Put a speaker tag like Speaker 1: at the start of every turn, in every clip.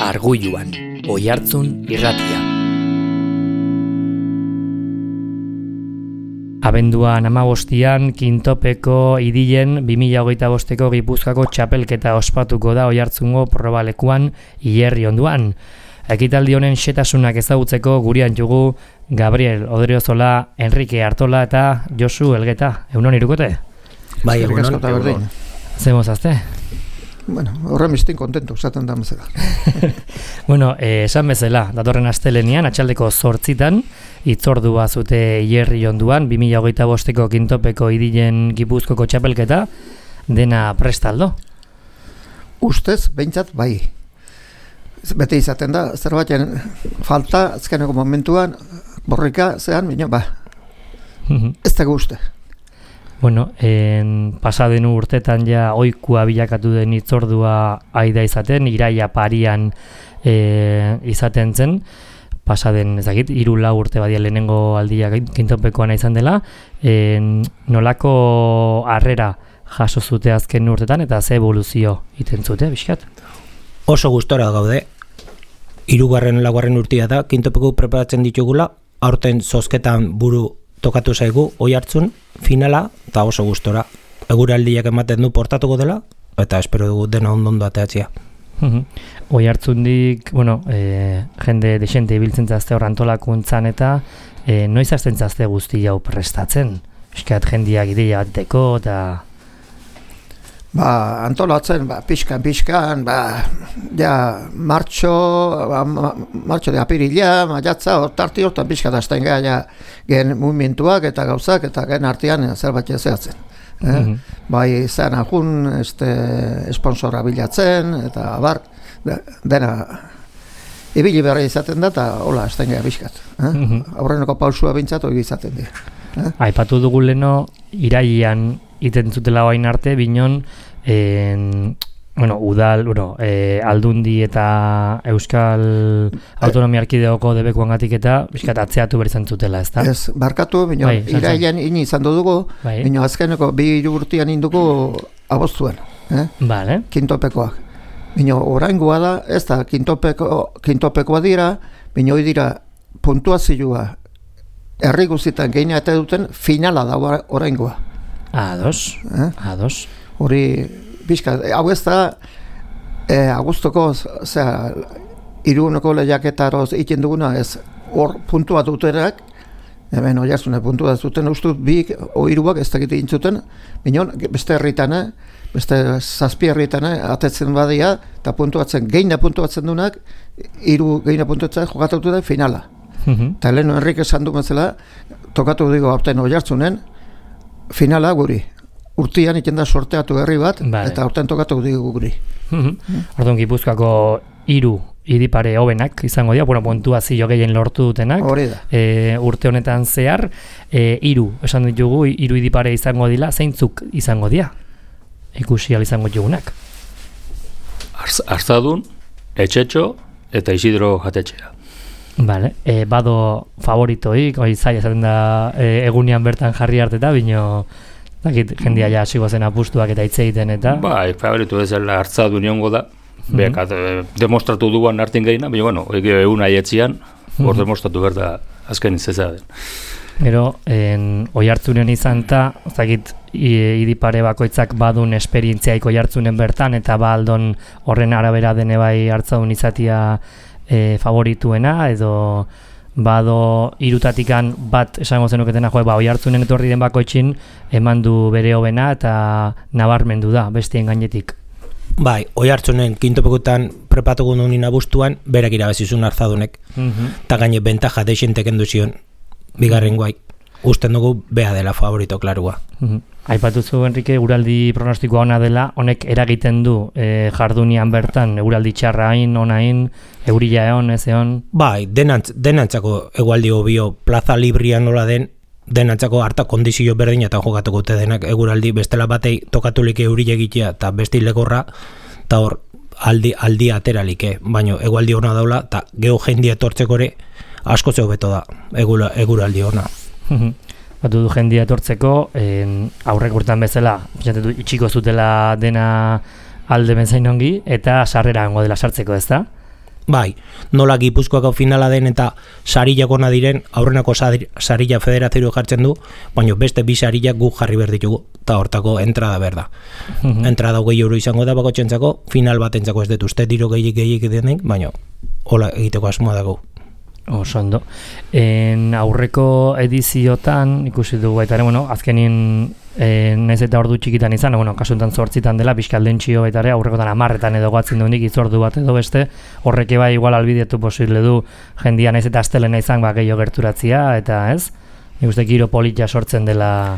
Speaker 1: Argulluan, Oihartzun irratia. Abenduan 15 Kintopeko idilen 2025ko Gipuzkoako txapelketa ospatuko da Oihartzungo probalekuan Hilerri onduan. Ekitaldi honen xetasunak ezagutzeko gurean dugu Gabriel Odriozola, Enrique Artola eta Josu Elgeta. Egunon irukote?
Speaker 2: Bai, egunon.
Speaker 1: Zemozazte?
Speaker 2: Bueno, horren mistin kontentu, esaten da bezala.
Speaker 1: Bueno, esan bezala, datorren astelenian, atxaldeko 8 hitzordua zute Hilerri onduan, 2025ko Kintopeko idilen Gipuzkoako txapelketa, dena prestaldo?
Speaker 2: Ustez, behintzat, bai. Bete izaten da, zerbaiten falta, azkeneko momentuan, borrika zean, bine, ez dago uste.
Speaker 1: Bueno, pasaden urtetan ja ohikoa bilakatu den hitzordua aida izaten, iraia parian izaten zen, pasaden ezagit, 3-4 urte badia lehenengo aldia Kintopekoan izan dela, nolako harrera jaso zute azken urtetan eta ze evoluzio iten zute, bizkat?
Speaker 3: Oso gustora gaude, 3. 4. urtea da, Kintopeko preparatzen ditugula, aurten zozketan buru tokatu zaigu, Oihartzun, finala, eta oso gustora. Eguraldiak ematen du portatuko dela, eta espero dugu dena ondo ateatzea.
Speaker 1: Oihartzundik, bueno, jende desente ibiltzen zazte hor antolakuntzan eta noiz hasten zazte guzti hau prestatzen? Eskat jendiak ideia bateko eta...
Speaker 2: Antolatzen, pixkan, ja, martxo de apirila, maiatza, tarti hortan pixka dazten ja, gen movimentuak eta gauzak, eta gen artean zerbait zehatzen. Bai, zean ajun, esponsora bilatzen, eta bar, dena, ibili berra izaten da, eta hola, azten gara pixkat. Aurreneko pausua bintzatu izaten dira.
Speaker 1: Aipatu dugu leno, irailean iten zutela bain arte, binon, udal, aldundi eta Euskal Autonomia Erkidegoko debekuangatik eta bizkat atzeatu berizan zutela, ez da?
Speaker 2: Ez, barkatu, binon, irailean ini izan dugu, binon, azkeneko 2 urtean indugu aboztuen,
Speaker 1: Vale.
Speaker 2: Kintopekoak. Binon, oraingoa da, ez da, Kintopekoa dira, binon, dira puntuazioa herri guztietan geina eta duten finala da oraingoa.
Speaker 1: Ados.
Speaker 2: Hori, bizka, hau ez da, agustoko, iruneko lehiaketaroz iten duguna, ez, hor puntua dutenak, hemen Oihartzune puntua zuten, ustut, 2 o 3 ez dakit intzuten, minon, beste herritane, beste 7 herritane, atetzen badia, eta puntuatzen, geina puntuatzen dunak, 3 geina puntuatzen jokatutu da finala. Eta lehen Enrique esan du bezala, tokatu digo aurten Oihartzunen, finala guri. Urtean iten da sorteatu herri bat, eta aurten tokatu digu guri.
Speaker 1: Orduan Gipuzkoako 3 hiripare hobenak izango dira, puntuazio gehien lortu dutenak.
Speaker 2: Hori da.
Speaker 1: Urte honetan zehar, 3 esan ditugu, 3 hiripare izango dira, zeintzuk izango dira? Ikusi izango ditugunak.
Speaker 4: Arzadun, Etxetxo eta Isidro Jatetxea.
Speaker 1: Vale, bado favoritoik, zaila zaten da egunean bertan jarri harteta, bino dakit jendia ja hasigo zen apustuak eta hitz egiten eta...
Speaker 4: Bai, favoritu bezala Arzadun iongo da, bekat demostratu duan hartin gehiena, baina egun aietzian, hor demostratu behar da azken izazea den.
Speaker 1: Gero, Oihartzunen izan eta, zakit, hiripare bakoitzak badun esperientziaik Oihartzunen bertan, eta baldon horren arabera dene bai Arzadun izatia favorituena, edo bado 3 bat esango zenuketena, Oihartzunen etorri den bakoitzin eman du bere hobena eta nabarmendu da bestien gainetik.
Speaker 3: Bai, Oihartzunen Kintopekotan prepatuko nunin abuztuan, berak irabazizun Arzadunek, eta gaine bentaja deixentek enduzion, bigarren guai. Usten dugu bea dela favorito klarua.
Speaker 1: Aipatuzu, Enrique, eguraldi pronostikoa ona dela, honek eragiten du jardunian bertan, eguraldi txarra hain, ona hain, eurila egon, ez egon?
Speaker 3: Bai, denantzako eguraldi hobio plaza librian nola den, denantzako harta kondizio berdinetan jokatuko denak eguraldi bestela batei tokatulik eurila egitea eta besti legorra, eta hor aldi ateralike, baina eguraldi ona daula, eta geho jendia etortzeko ere asko zeu beto da eguraldi ona.
Speaker 1: Batu du jendia etortzeko, aurrek urtean bezala, itxiko zutela dena alde benzain ongi, eta sarrera hango dela sartzeko, ez da?
Speaker 3: Bai, nola Gipuzkoako finala den eta sarilak ona diren, aurrenako sarila federazioa jartzen du, baina beste bi sarilak guk jarri behar ditugu, eta hortako entrada berda. Entrada 20 euro izango da bakotxentzako, final batentzako ez dut uste diro gehiik denek, baina hola egiteko asmoa dago.
Speaker 1: Oso ondo. Aurreko ediziotan ikusi dugu baita ere, azkenin naiz eta ordu txikitan izan, kasuntan 8 dela, bizkalden txio baita ere, aurrekotan 10 edo goatzen duenik, itzordu bat edo beste, horreke bai igual albidetu posible du jendia naiz eta astelena izan gehiago gerturatzia, eta ez? Nik uste giro polita sortzen dela...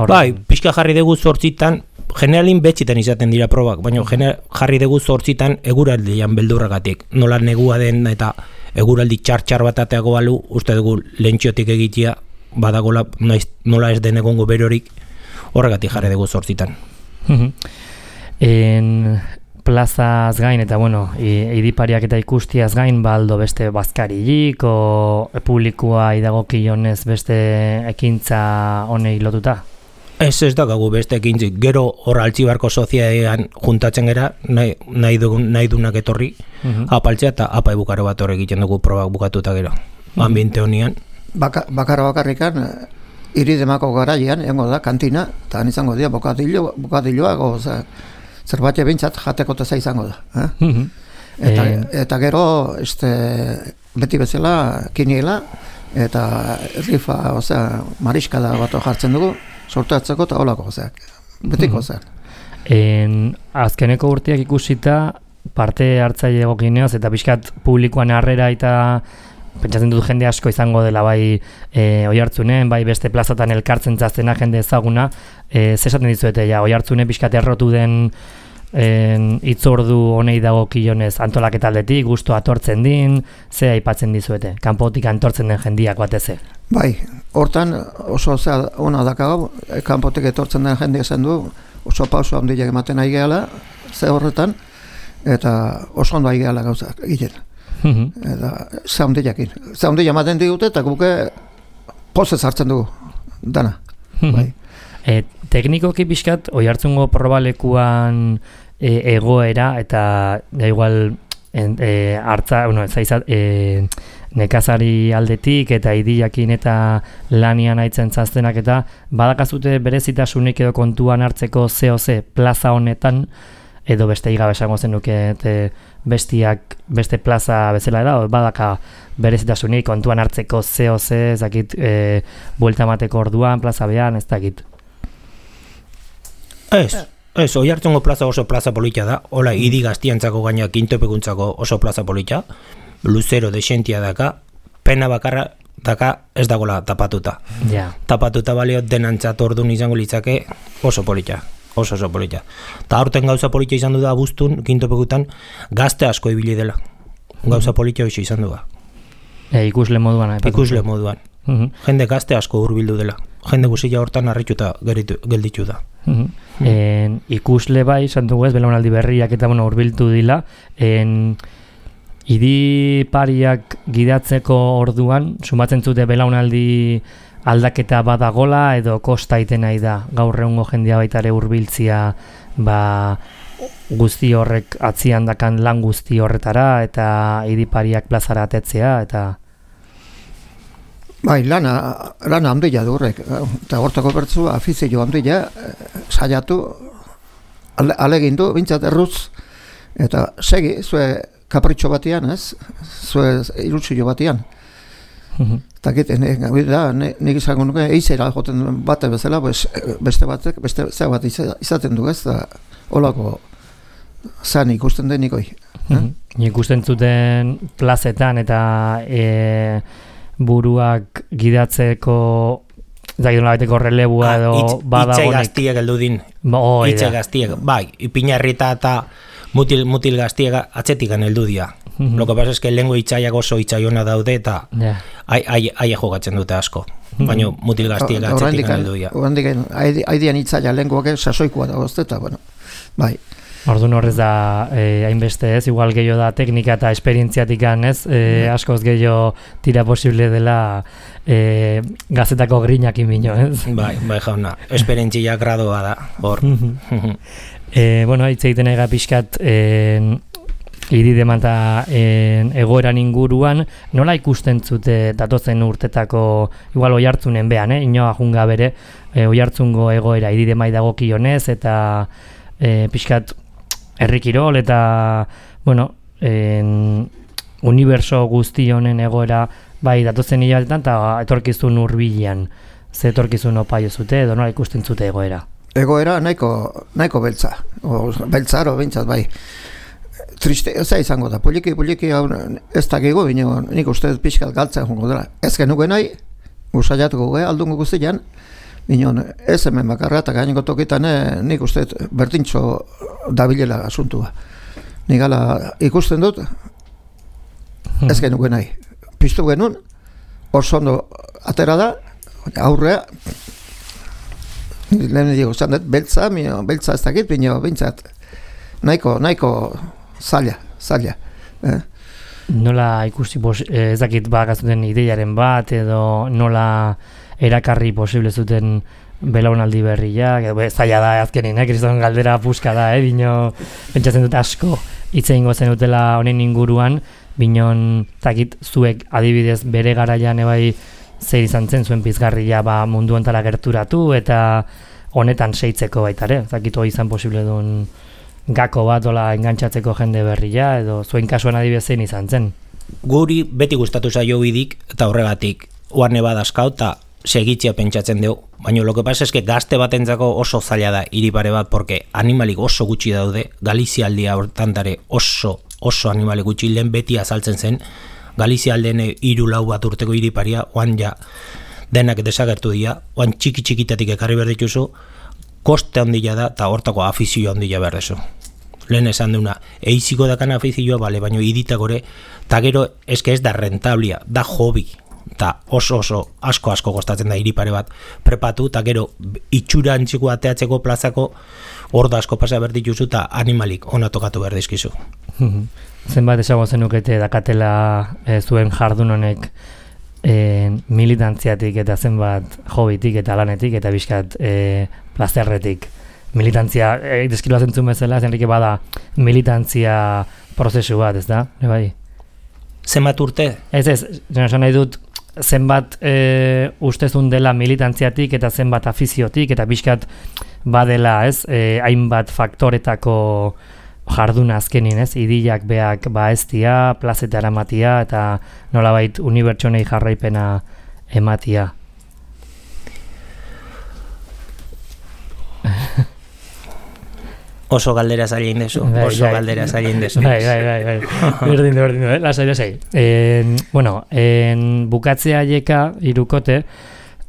Speaker 3: Bai, pixka jarri dugu 8, generalin betxitan izaten dira probak, baina jarri dugu 8 eguraldian beldurragatik, nola negua den eta eguraldi txar bat ateago balu, uste dugu lentxiotik egitea, badagola nola ez den egongo berorik, horregatik jarri dugu 8.
Speaker 1: Plazaz gain eta idipariak eta ikustiaz gain baldo beste bazkarilik o publikoa idagokionez beste ekintza honei lotuta?
Speaker 3: Ez dakagu beste ekintzik, gero hor Altzibarko soziadean juntatzen gera, nahi dunak etorri, apaltzea eta apa ebukaro bat hor egiten dugu probak bukatuta gero, ambiente honian.
Speaker 2: Bakarrikan, iridemako garaian, engo da, kantina, eta izango dira bokadilloak, zerbait bintzat jateko teza izango da. Eta gero, beti bezala, kiniela, eta rifa, mariskada bat jartzen dugu, sortatzeko eta holako, betiko zen.
Speaker 1: Azkeneko urteak ikusita, parte hartzaile egokineoz, eta pixkat publikoan harrera eta pentsatzen dut jende asko izango dela bai Oiartzunen, bai beste plazatan elkartzen zaztena jende ezaguna, zesaten dizuete, Oiartzunen pixkat errotu den itzordu honei dagokionez antolaketaldetik, gustu atortzen din, ze aipatzen dizuete, kanpotik antortzen den jendiak bateze.
Speaker 2: Bai, hortan oso ona dakago, kanpotik etortzen den jende esan du, oso pauso handiak ematen ari gehala, ze horretan, eta oso ondo ari gehala gauzak egiten. Eta ze handiak ematen digute, eta guke pozez hartzen dugu, dana. Bai.
Speaker 1: Teknikoki pixkat, Oiartzungo probalekuan egoera, eta igual nekazari aldetik eta idiakin eta lanian aitzen zaztenak eta badakazute berezitasunik edo kontuan hartzeko ZOZ plaza honetan edo beste igabe esango zenuke beste plaza bezala da, badaka berezitasunik kontuan hartzeko ZOZ ezakit buelta mateko orduan plaza behan, ez dakit.
Speaker 3: Ez, Oiartzungo plaza oso plaza polita da, hola idi gaztiantzako gaina kintopekuntzako oso plaza polita, luzero desentia daka, pena bakarra daka ez dagoela tapatuta. Tapatuta balio denantzat orduan izango litzake oso polita, oso polita. Ta aurten gauza polita izan du da abuztun, kintopekutan, gazte asko ibili dela. Gauza polita hoxe izan du da.
Speaker 1: Ikusle moduan.
Speaker 3: Ikusle moduan. Jende gazte asko hurbildu dela. Jende guzilla hortan harrituta gelditu da.
Speaker 1: Ikusle bai, santugu ez, belaunaldi berriak eta hurbildu dila, idipariak gidatzeko orduan, sumatzen zute belaunaldi aldaketa badagola edo kosta iten nahi da, gaur egungo jendea baitare hurbiltzia guzti horrek atzian dakan lan guzti horretara eta idipariak plazara atetzea eta...
Speaker 2: Bai, lana handia du horrek, eta hortako bertzu afizio handia saiatu, alegin du, bintzat erruz, eta segi, zue kapritxo batian, ez? Zue irutzio batian. Eta egiten, nik izango nuke, eizera joten bate bezala, beste batek, beste zea bat izaten du, ez? Olako zan ikusten denikoi.
Speaker 1: Ikusten zuten plazetan eta buruak gidatzeko zaitun relebua edo badagonik.
Speaker 3: Itxe gaztiek eldu din. Itxe gaztiek, bai, ipinarrita eta mutil gaztiek atzetikan eldu dia. Lo que pasa es que lengo itxaiak oso itxaiona daude eta aie jogatzen dute asko. Baina mutil gaztiek atzetikan eldu dia.
Speaker 2: Haidian itxaia lengoak sasoikoa da gozteta, bueno, bai.
Speaker 1: Orduan horrez da hainbeste ez, igual gehiago da teknika eta esperientziatik ez, askoz gehiago tira posible dela gazetako grinak inbino, ez?
Speaker 3: Bai, jauna, esperientzia gradoa da, hor.
Speaker 1: Hitz egiten ega pixkat Irideman eta egoeran inguruan, nola ikusten zute datozen urtetako, igual Oiartzunen behan, inoa junga bere, Oiartzungo egoera Iridemai dagokionez, eta pixkat herrikirol, eta, bueno, uniberso guzti honen egoera, bai, datozen hilabetetan, eta etorkizun hurbilean, ze etorkizun opaio zute, edo nola ikusten zute egoera?
Speaker 2: Egoera nahiko beltza, beltzaro bintzat, bai. Triste, ez da izango da, poliki ez dakigu, bino nik uste pixkat galtzen jongo dela. Ez genuke nahi, usaiatuko aldungo guztian, bino ez hemen bakarra eta gaineko tokitan nik uste berdintxo dabilela asuntua. Nik ala ikusten dut, ez genuke nahi. Piztu genuen, oso ondo atera da, aurrea, lehen digo, zandet, beltza ez dakit, bino bintzat, nahiko zaila.
Speaker 1: Nola ikusi ez dakit bakazuten ideiaren bat, edo nola erakarri posible zuten belaunaldi berriak, edo zaila da azkenin, kriston galdera puska da, bino pentsatzen dut asko hitz egingo zenutela honen inguruan, binon zakit zuek adibidez bere garaian ebai zer izan zen zuen pizgarria mundu ontara gerturatu eta honetan seitzeko baitare, zakit hori izan posible duen gako bat ola engantzatzeko jende berria edo zuen kasuan adibidez zein izan zen.
Speaker 3: Guri beti gustatu zaio bidik eta horregatik oarne badazkau eta segitzea pentsatzen dugu. Baina lo que pasa es que gazte batentzako oso zaila da iripare bat, porque animalik oso gutxi daude, Galizia aldia hortantare oso animalik gutxi lehen beti azaltzen zen, Galizia aldean 3-4 bat urteko iriparia, oan ja denak desagertu dira, oan txiki-txikitatik ekarri behar dituzu, koste handila da eta hortako afizioa handila behar dezu. Lehen esan duna, eiziko dakan afizioa, bale, baina iditak gore, eta gero eske ez da rentablia, da hobi, eta oso asko kostatzen da iripare bat prepatu, eta gero itxura antziko ateatzeko plazako orda asko pasa behar dituzu eta animalik ona tokatu behar dizkizu.
Speaker 1: Zenbat esango zenukete dakatela zuen jardun honek militantziatik eta zenbat hobitik eta lanetik eta bizkat plazerretik. Militantzia, deskriba zentzun bezala, zenrike bada militantzia prozesu bat, ez da? Bai.
Speaker 3: Zenbat urte?
Speaker 1: Ez, esan nahi dut, zenbat ustezun dela militantziatik eta zenbat afiziotik eta bizkat badela, ez, hainbat faktoretako jarduna azkenin, ez, idilak beak eztia, plazeta eramatia eta nolabait unibertsonei jarraipena ematia.
Speaker 3: Oso galdera zailin dezu, galdera zailin dezu.
Speaker 1: Bai. Berdin, lasai. Bueno, bukatzea jeka irukote,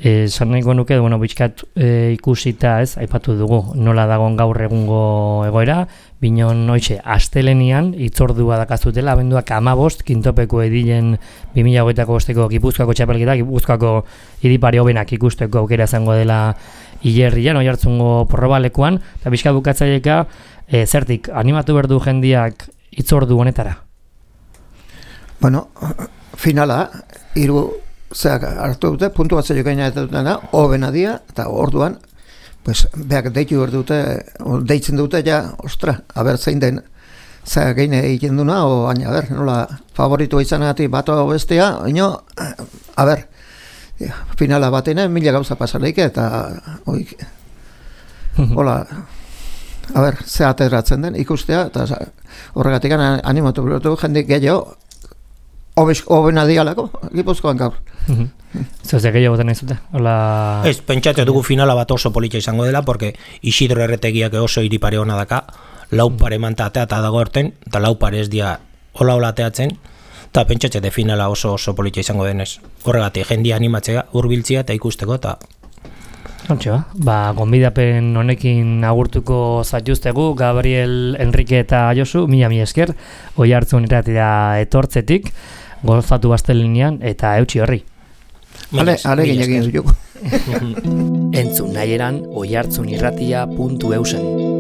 Speaker 1: esan nahiko nuke, bueno, bitxkat ikusita, ez, aipatu dugu, nola dagoen gaur egungo egoera, binon hoitxe, astelenian, itzordua dakazutela, abenduak 15, kintopeko edilen 2025ko Gipuzkoako txapelketa, Gipuzkoako idipari hobenak ikusteko aukera izango dela Ilerrian, Oiartzungo probalekuan, eta bizka bukatzaileka, zertik, animatu berdu jendiak itzordu honetara?
Speaker 2: Bueno, finala, hartu dute, puntu bat zeio gaina dutena, hobena dia, eta orduan, pues, beak deitzen dute, ja, ostra, aber zein den, zeak geine egiten duna, o baina, aber, nola, favoritua izanagatik bato bestea, ino, aber, finala batena, 1000 gauza pasaleik, eta hola, ze ateratzen den, ikustea, eta horregatik animatu berotu jendik gehiago, hobena dialako, Gipuzkoan gaur.
Speaker 1: Zozek gehiago botan nahi zute?
Speaker 3: Ez, pentsatzen dugu finala bat oso politxa izango dela, porque Isidro Erretegiak oso iripare hona daka, laupare mantatea eta dago horten, eta laupare ez dia hola ateatzen, eta pentsatze de finala oso politxa izango denez. Horregatik, jendia animatzea, hurbiltzea eta ikusteko, eta...
Speaker 1: Ontxo, gonbidapen honekin agurtuko zaituztegu, Gabriel, Enrique eta Josu, mila esker, Oiartzun irratia etortzetik, gozatu astelenean eta eutxi horri.
Speaker 2: Ale ginekin zutuko.
Speaker 1: Entzun nahieran oiartzunirratia.eusen.